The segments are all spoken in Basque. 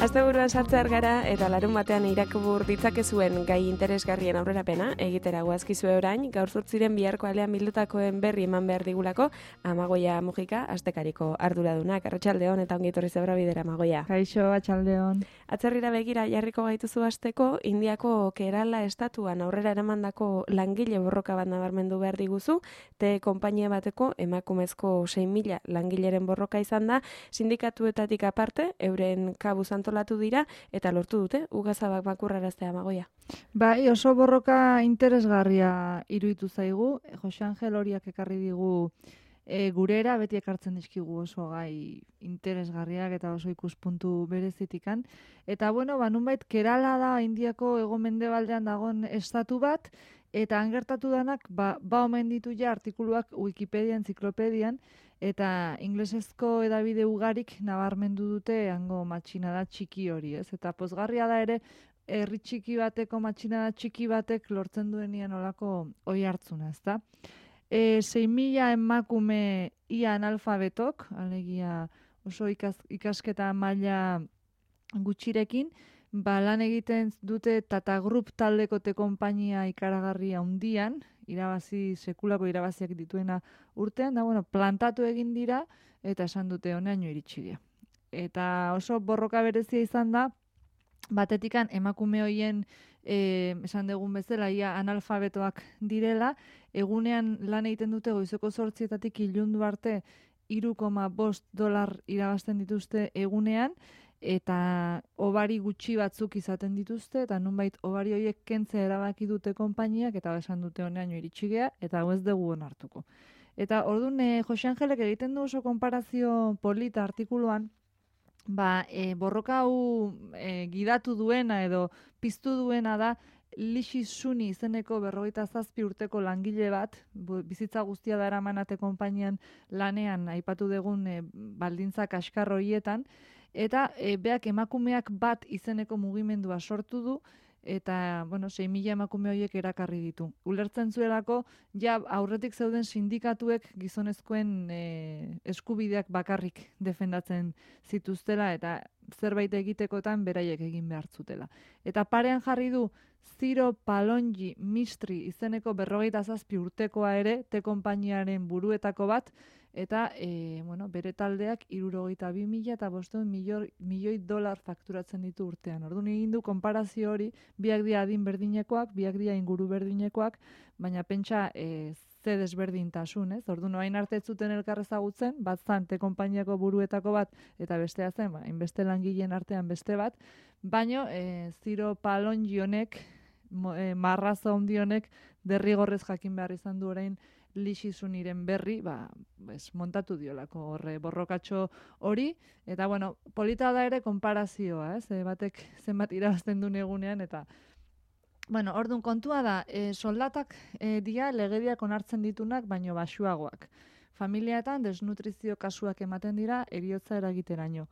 Asteburuan sartzear gara eta larun batean irakubur ditzakezuen gai interesgarrien aurrerapena egitera goazkizue orain, gaur zortziren biharko alean bildutakoen berri eman behar digulako, Amagoia Mujika, astekariko arduradunak. Arratsaldeon eta ongi etorri zebra bidera, Amagoia. Kaixo, atxaldeon. Atzerrira begira jarriko gaituzu hasteko, Indiako Kerala estatuan aurrera eramandako langile borroka bat nabarmendu behar diguzu, te konpainia bateko emakumezko 6.000 langileren borroka izan da, sindikatuetatik aparte, euren kabuz antolatu dira, eta lortu dute, ugazabak makurraraztea, Amagoia. Bai, oso borroka interesgarria iruditu zaigu, Jose Angel horiak ekarri digu gurera, beti ekartzen dizkigu oso gai interesgarriak eta oso ikuspuntu berezitikan. Eta bueno, nunbait Kerala da Indiako hego-mendebaldean dagoen estatu bat, eta hangertatu danak, omen ditu ja artikuluak Wikipedia, enziklopedian, eta inglesezko edabide ugarik nabarmendu dute hango matxinada txiki hori, ez? Eta pozgarria da ere, herri txiki bateko matxinada txiki batek lortzen duenian olako oi hartzuna, ezta? 6.000 emakume ia analfabetok, alegia oso ikasketa maila gutxirekin, lan egiten dute Tata Group taldeko konpainia ikaragarria handian, sekulako irabaziak dituena urtean, da plantatu egin dira eta esan dute honeaino iritsi dira. Eta oso borroka berezia izan da, batetikan emakume hoien esan dugun bezala ia analfabetoak direla, egunean lan egiten dute goizeko 8:00 ilundu arte $3.5 irabazten dituzte egunean, eta obari gutxi batzuk izaten dituzte, eta nunbait obari horiek kentzea erabaki dute konpainiak, eta esan dute honeaino iritsi gea, eta hau ez dugu onartuko. Eta orduan Jose Angelek egiten du oso konparazio polita artikuluan, borroka hau gidatu duena edo piztu duena da Lixi Suni izeneko 47 urteko langile bat, bizitza guztia da eramanate konpainian lanean aipatu dugun baldintza kaskar horietan, eta beak emakumeak bat izeneko mugimendua sortu du, eta 6.000 emakume horiek erakarri ditu. Ulertzen zuelako, ja aurretik zeuden sindikatuek gizonezkoen eskubideak bakarrik defendatzen zituztela, eta zerbait egitekotan beraiek egin behar zutela. Eta parean jarri du Ziro Palonji Mistri izeneko 47 urtekoa ere, te konpainiaren buruetako bat, eta bere taldeak $62.500 milioi fakturatzen ditu urtean. Orduan egin du konparazio hori, biak dira adin berdinekoak, biak dira inguru berdinekoak, baina pentsa ze desberdintasun, ez? Orduan orain arte ez zuten elkar ezagutzen, bat zan te konpainiako buruetako bat, eta bestea zen, hainbeste langileen artean beste bat, baino Ziro Palonji honek, marrazo handi honek, derrigorrez jakin behar izan du orain Lixi Suniren berri, montatu diolako horre borrokatxo hori, eta polita da ere konparazioa, batek zenbat irabazten duen egunean, eta orduan kontua da, soldatak dia legediak onartzen ditunak, baino baxuagoak. Familiaetan desnutrizio kasuak ematen dira, eriotza eragiteraino.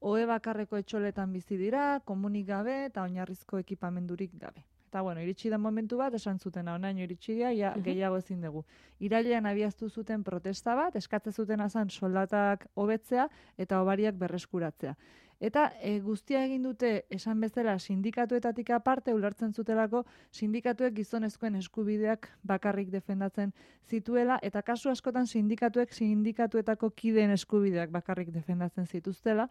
Ohe bakarreko etxoletan bizi dira, komunik gabe eta oinarrizko ekipamendurik gabe. Eta iritsi da momentu bat, esan zuten honaino iritsi ja gehiago ezin dugu. Irailean abiaztu zuten protesta bat, eskatze zuten azan soldatak hobetzea eta obariak berreskuratzea. Eta guztia egin dute esan bezala sindikatuetatik aparte, ulertzen zutelako sindikatuek gizonezkoen eskubideak bakarrik defendatzen zituela, eta kasu askotan sindikatuetako kideen eskubideak bakarrik defendatzen zituztela.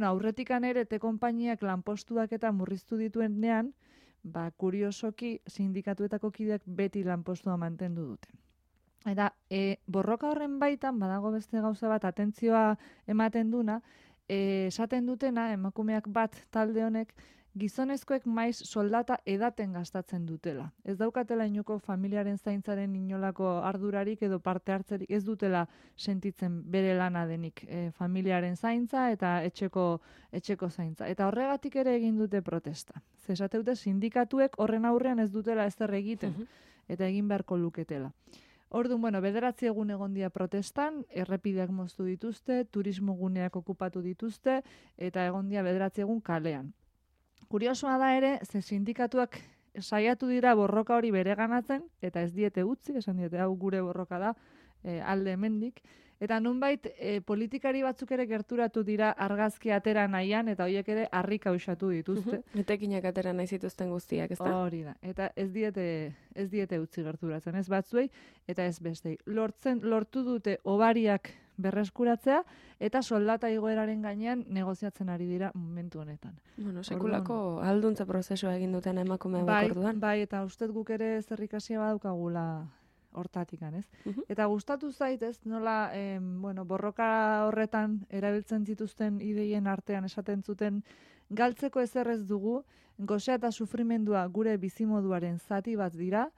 Aurretikan ere te konpainiak lanpostuak eta murriztu dituenean, kuriosoki sindikatuetako kideak beti lanpostua mantendu dute. Eta borroka horren baitan, badago beste gauza bat, atentzioa ematen duna, esaten dutena, emakumeak bat talde honek, gizonezkoek maiz soldata edaten gastatzen dutela. Ez daukatela inoko familiaren zaintzaren inolako ardurarik edo parte hartzerik, ez dutela sentitzen bere lana denik familiaren zaintza eta etxeko zaintza. Eta horregatik ere egin dute protesta. Zesate dute sindikatuek horren aurrean ez dutela ezer egiten, eta egin beharko luketela. Orduan, 9 egun egon dira protestan, errepideak moztu dituzte, turismo guneak okupatu dituzte, eta egon dira 9 egun kalean. Kuriosoa da ere, ze sindikatuak saiatu dira borroka hori bereganatzen, eta ez diete utzi, esan diete hau gure borroka da, alde hemendik, Eta nunbait politikari batzuk ere gerturatu dira argazki atera nahian, eta horiek ere harrik ausatu dituzte. Etekinak atera nahi zituzten guztiak, ez da? Hori da. Eta ez diete utzi gerturatzen, ez batzuei, eta ez bestei. Lortu dute obariak berreskuratzea, eta soldata igoeraren gainean negoziatzen ari dira momentu honetan. Bueno, sekulako alduntza prozesua egin duten emakume orduan. Bai, eta ustet guk ere zerrikasia badaukagula hortatikan, ez? Eta gustatu zaitez, nola, borroka horretan erabiltzen zituzten ideien artean esaten zuten, galtzeko ezer ez dugu, gosea eta sufrimendua gure bizimoduaren zati bat dira,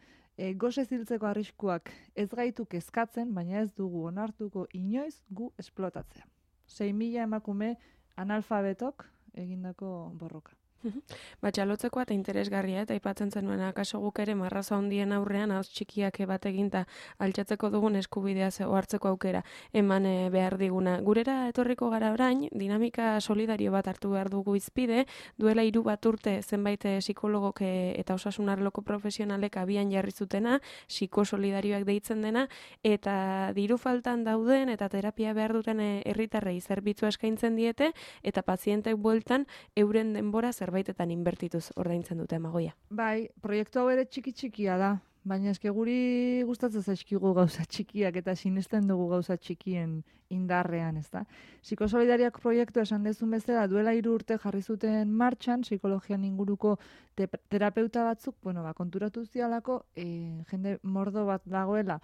gose ziltzeko arriskuak ez gaitu kezkatzen, baina ez dugu onartuko inoiz gu esplotatzea. 6.000 emakume analfabetok egindako borroka. Txalotzekoa eta interesgarria, eta aipatzen zenuen akaso guk ere marraza handien aurrean hauz txikiak bat eginta altxatzeko dugun eskubidea hartzeko aukera eman behar diguna. Gurera etorriko gara orain, dinamika solidario bat hartu behar dugu izpide, duela 3 urte zenbait psikologok eta osasun arloko profesionalek abian jarri zutena, psikosolidarioak deitzen dena, eta diru faltan dauden eta terapia behar duten herritarrei zerbitzua eskaintzen diete, eta pazientek bueltan euren denbora zerbaitetan inbertituz ordaintzen dute Amagoia. Bai, proiektu hau ere txiki-txikia da, baina eske guri gustatzen zaizkigu gauza txikiak eta sinesten dugu gauza txikien indarrean, ezta? Psikosolidariak proiektu esan dezun bezala duela 3 urte jarri zuten martxan, psikologian inguruko terapeuta batzuk, konturatu zialako, jende mordo bat dagoela,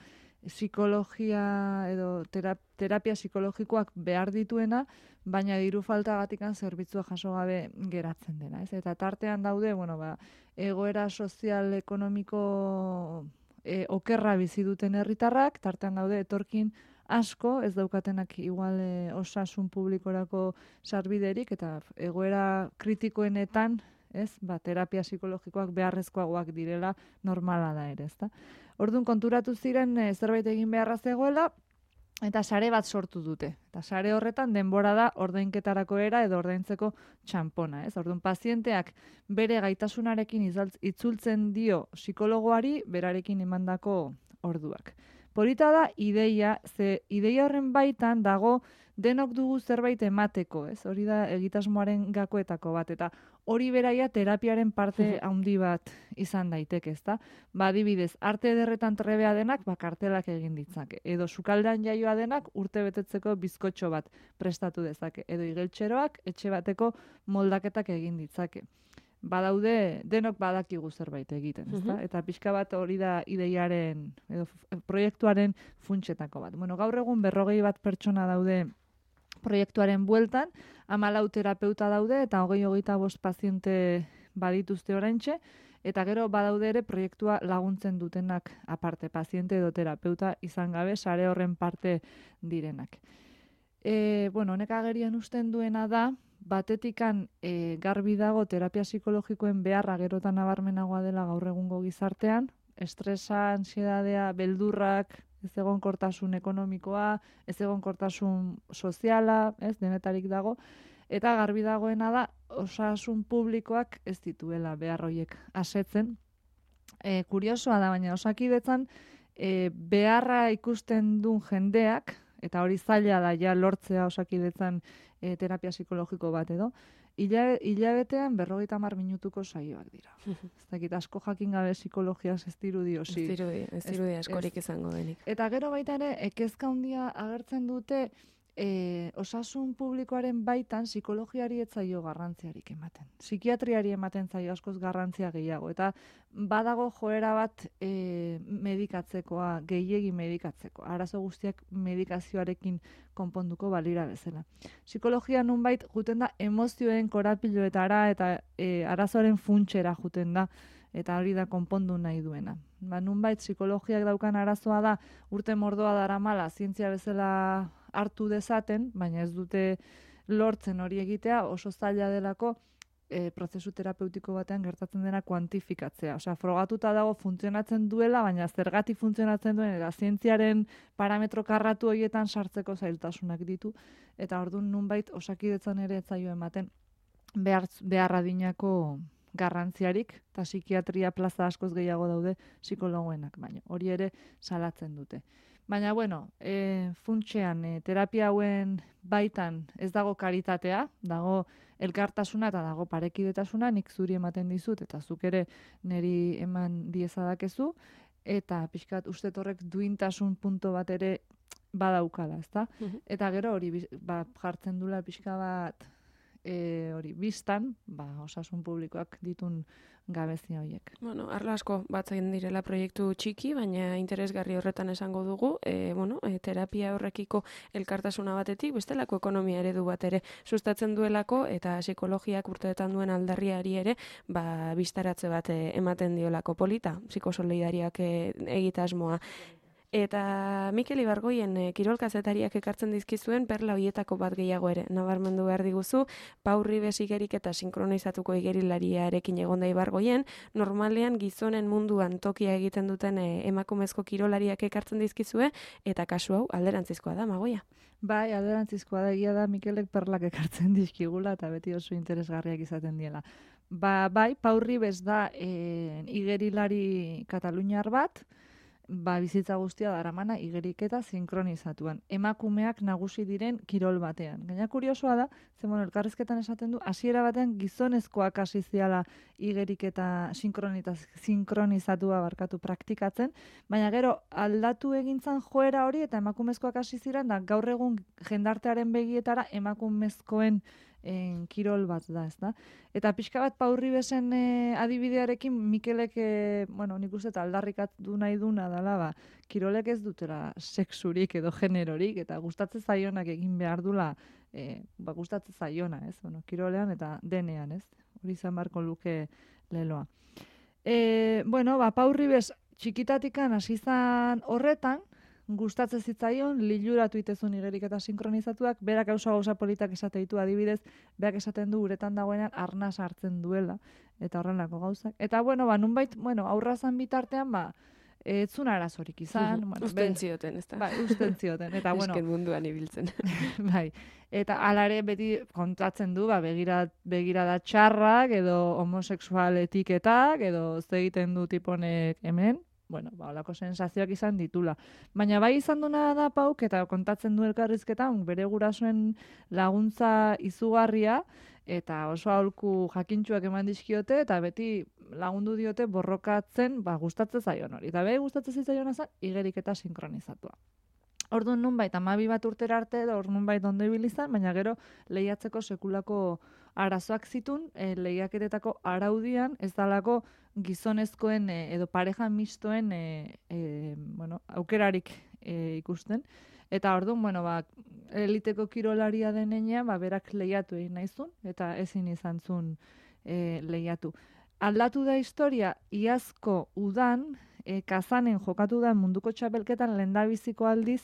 psikologia edo terapia psikologikoak behar dituena, baina diru faltagatikan zerbitzua jaso gabe geratzen dena, ez? Eta tartean daude, egoera sozial ekonomiko okerra bizi duten herritarrak, tartean daude etorkin asko, ez daukatenak igual osasun publikorako sarbiderik, eta egoera kritikoenetan, ez? Terapia psikologikoak beharrezkoagoak direla normala da ere, ezta? Orduan konturatu ziren zerbait egin beharra zegoela, eta sare bat sortu dute. Eta sare horretan denbora da ordainketarako era edo ordaintzeko txanpona, ez? Orduan pazienteak bere gaitasunarekin itzultzen dio psikologoari berarekin emandako orduak. Polita da ideia, ze ideia horren baitan dago denok dugu zerbait emateko, ez? Hori da egitasmoaren gakoetako bat, eta hori beraia terapiaren parte handi bat izan daiteke, ezta? Adibidez, arte ederretan trebea denak, kartelak egin ditzake. Edo sukaldean jaioa denak urte betetzeko bizkotxo bat prestatu dezake. Edo igeltxeroak etxe bateko moldaketak egin ditzake. Badaude, denok badakigu zerbait egiten, ezta? Eta pixka bat hori da ideiaren, edo proiektuaren funtsetako bat. Gaur egun 41 pertsona daude proiektuaren bueltan, 14 terapeuta daude eta 20-25 paziente badituzte oraintxe, eta gero badaude ere proiektua laguntzen dutenak aparte, paziente edo terapeuta izan gabe, sare horren parte direnak. Honek agerian usten duena da, batetikan garbi dago terapia psikologikoen beharra gerotan nabarmenagoa dela gaur egungo gizartean, estresa, ansiedadea, beldurrak, ez egonkortasun ekonomikoa, ez egonkortasun soziala, ez denetarik dago, eta garbi dagoena da osasun publikoak ez dituela behar horiek asetzen. Kuriosoa da, baina Osakidetzan beharra ikusten duen jendeak, eta hori zaila da ja lortzea Osakidetzan terapia psikologiko bat edo, hilabetean 50 minutuko saioak dira. Ez dakit asko jakin gabe psikologiaz ez dirudi osi. Ez dirudi askorik izango denik. Eta gero baita ere, kezka handia agertzen dute osasun publikoaren baitan psikologiari ez zaio garrantziarik ematen. Psikiatriari ematen zaio askoz garrantzia gehiago. Eta badago joera bat medikatzekoa, gehiegi medikatzeko. Arazo guztiak medikazioarekin konponduko balira bezala. Psikologia nunbait juten da emozioen korapiloetara eta arazoaren funtsera juten da. Eta hori da konpondu nahi duena. Nunbait psikologiak daukan arazoa da urte mordoa daramala zientzia bezala hartu dezaten, baina ez dute lortzen hori egitea, oso zaila delako prozesu terapeutiko batean gertatzen dena kuantifikatzea. Osea, frogatuta dago funtzionatzen duela, baina zergatik funtzionatzen duen, eta zientziaren parametro karratu horietan sartzeko zailtasunak ditu, eta orduan nunbait Osakidetzan ere ez zaio ematen behar adinako garrantziarik, eta psikiatria plaza askoz gehiago daude psikologoenak, baina hori ere salatzen dute. Baina, bueno, funtsean, terapia hauen baitan ez dago karitatea, dago elkartasuna eta dago parekidetasuna, nik zuri ematen dizut, eta zuk ere niri eman diezadakezu, eta pixkat uste horrek duintasun punto bat ere badaukala, ezta? Eta gero hori jartzen dula pixka bat hori biztan, osasun publikoak ditun gabezia horiek. Bueno, arlo asko batzen direla proiektu txiki, baina interesgarri horretan esango dugu, terapia horrekiko elkartasuna batetik, bestelako ekonomia eredu bat ere sustatzen duelako, eta psikologiak urteetan duen aldarriari ere, biztaratze bat ematen diolako polita, psikosolidariak egitasmoa. Eta Mikel Ibargoien kirol kazetariak ekartzen dizkizuen perla hoietako bat gehiago ere. Nabarmendu behar diguzu, Pau Ribes igerik eta sinkronizatuko igerilariarekin egonda Ibargoien, normalean gizonen munduan tokia egiten duten emakumezko kirolariak ekartzen dizkizue, eta kasu hau alderantzizkoa da, Magoia. Bai, alderantzizkoa da, egia da Mikelek perlak ekartzen dizkigula eta beti oso interesgarriak izaten diela. Bai, Pau Ribes da igerilari kataluniar bat, bizitza guztia daramana igeriketa sinkronizatuan. Emakumeak nagusi diren kirol batean. Gaina kuriosoa da, elkarrizketan esaten du, hasiera batean gizonezkoak hasi ziala igeriketa sinkronizatua praktikatzen, baina gero aldatu egintzan joera hori eta emakumezkoak hasi ziren, da gaur egun jendartearen begietara emakumezkoen kirol bat da, ezta? Eta pixka bat Pau Ribesen adibidearekin Mikelek, nik uste aldarrikatu nahi duna dela, kirolek ez dutela sexurik edo generorik, eta gustatzen zaionak egin behar dula, gustatzen zaiona, ez? Kirolean eta denean, ez? Hori izan barko luke leloa. Pau Ribes txikitatikan hasi izan horretan, gustatzen zitzaion, liluratu itezun igeriketa sinkronizatuak, berak gauza politak esate ditu adibidez, berak esaten du uretan dagoenean arnaz hartzen duela, eta horrenlako gauzak. Eta, nunbait, aurrazan bitartean, etzun arazorik izan. Usten zioten, ez da? Bai, usten zioten. Eta, esken munduan ibiltzen. Bai, eta alare beti kontatzen du, begirada txarrak, edo homosexual etiketak, edo egiten du tiponek hemen, holako sensazioak izan ditula. Baina bai izan duna da Pauk, eta kontatzen du elkarrizketan, bere gurasoen laguntza izugarria, eta oso aholku jakintxuak eman dizkiote, eta beti lagundu diote borrokatzen, gustatzen zaion hori. Eta gustatzen zitzaion azan, igeriketa sinkronizatua. Orduan nunbait, 12 bat urtera arte, nunbait ondo ibilizan, baina gero lehiatzeko sekulako arazoak zitun, lehiaketetako araudian, ez dalako gizonezkoen edo pareja mistoen aukerarik ikusten. Eta orduan, eliteko kirolaria denean, berak lehiatu egin nahizun, eta ezin izan zuen lehiatu. Aldatu da historia, iazko udan, Kazanen jokatu da munduko txapelketan lehendabiziko aldiz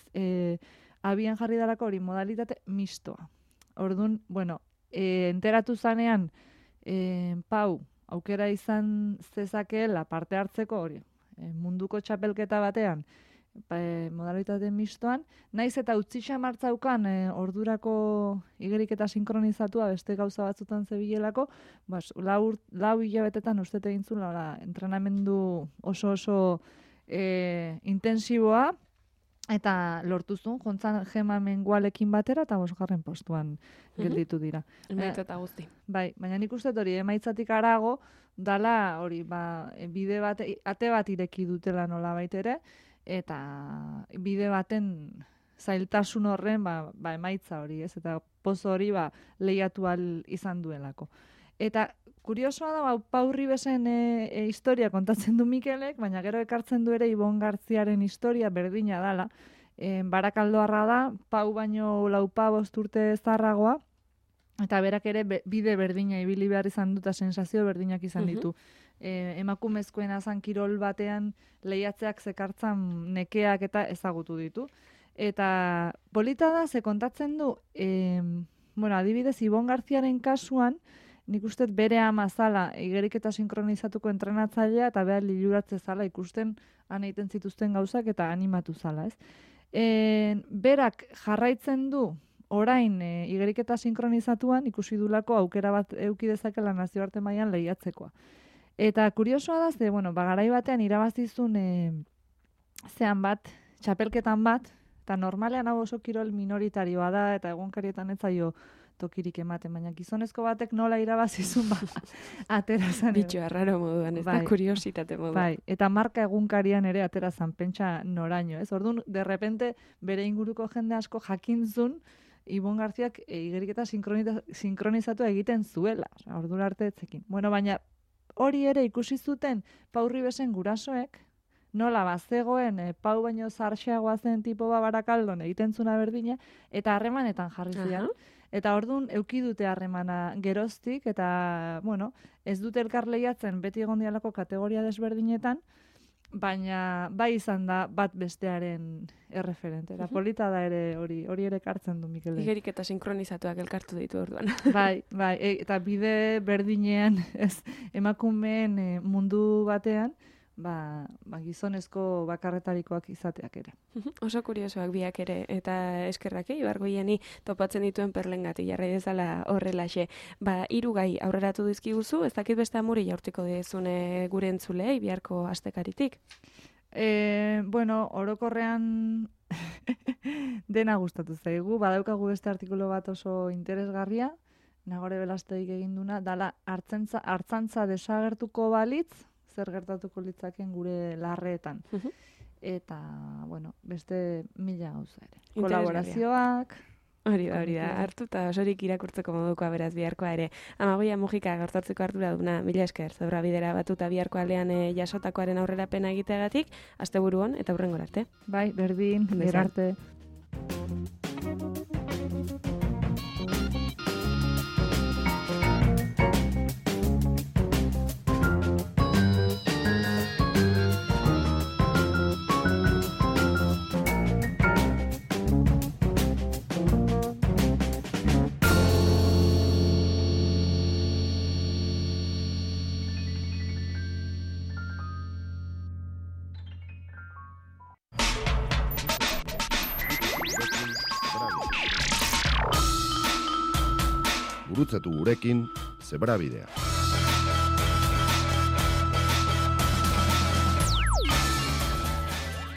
abian jarri dalako hori modalitate mistoa. Orduan, enteratu zanean Pau aukera izan zezakeela parte hartzeko hori munduko txapelketa batean modalitate mistoan, naiz eta utzitxa martzaukan ordurako igeriketa sinkronizatua beste gauza batzutan zebilelako, lau hilabetetan uste egin zuen entrenamendu oso intensiboa, eta lortu zuen, jontzan Gema Mengualekin batera, eta 5. postuan gelditu dira. Emaitzata guzti. Bai, baina nik uste hori emaitzatik arago, dala hori, bide bat, ate bat ireki dutela nola baitere, eta bide baten zailtasun horren emaitza hori, ez? Eta pozo hori lehiatu izan duelako. Eta kuriosoa da, Pau Ribesen historia kontatzen du Mikelek, baina gero ekartzen du ere Ibon Garziaren historia berdina dala. Barakaldoarra da, Pau baino 4-5 urte zarragoa, eta berak ere bide berdina ibili behar izan dut, sensazio berdinak izan ditu. Emakumezkoen azan kirol batean lehiatzeak zekartzan nekeak eta ezagutu ditu. Eta polita da, ze kontatzen du, adibidez, Ibon Garziaren kasuan, nik uste bere ama zala igeriketa sinkronizatuko entrenatzailea eta behar liluratze zala ikusten han egiten zituzten gauzak eta animatu zala, ez? Berak jarraitzen du orain igeriketa sinkronizatuan ikusi dulako aukera bat eduki dezakela nazioarte mailan lehiatzekoa. Eta kuriosoa da, garai batean irabazizun zean bat txapelketan bat, eta normalean hau oso kirol minoritarioa da, eta egunkarietan ez zaio tokirik ematen, baina gizonezko batek nola irabazizun aterazan. Bitxo arraro moduan, ez da kuriositate moduan. Bai, eta marka egunkarian ere aterazan, pentsa noraino, ez? Orduan, derrepente, bere inguruko jende asko jakintzun, Ibon Garziak igeriketa sinkronizatu egiten zuela. Ordura arte etzekin. Bueno, baina hori ere ikusi zuten Pau Ribesen gurasoek, nola bazegoen Pau baino zarxeagoa zen tipo Barakaldon egiten zuna berdina, eta harremanetan jarri zian. Eta ordun eduki dute harremana geroztik, eta, bueno, ez dute elkar lehiatzen beti egon dialako kategoria desberdinetan, baina bai izan da bat bestearen erreferente. Eta polita da ere hori ere kartzen du Mikel. Igerik eta sinkronizatuak elkartu ditu orduan. Bai, eta bide berdinean, ez, emakumeen mundu batean, gizonezko bakarretarikoak izateak ere. Oso kuriosoak biak ere, eta eskerrak Ibargoieni topatzen dituen perlengati, jarrai dezala horrelaxe. 3 gai aurreratu dizkiguzu, ez dakit beste amuri jaurtiko dezune gure entzulei, biharko astekaritik? Bueno, orokorrean dena gustatu zaigu, badaukagu beste artikulu bat oso interesgarria, Nagore Belasteik egin duna, dala hartzantza desagertuko balitz, zer gertatuko litzaken gure larreetan. Eta, bueno, beste 1000 gauza ere. Kolaborazioak. Hori da, hartu eta osorik irakurtzeko modukoa beraz biharkoa ere. Amagoia Mujika gaurtartzeko ardura duna, 1000 esker, Zebrabidera batuta biharko aldean jasotakoaren aurrerapena egiteagatik, asteburu on eta hurrengora arte. Bai, berdin, berarte. Gurutzatu gurekin Zebrabidea.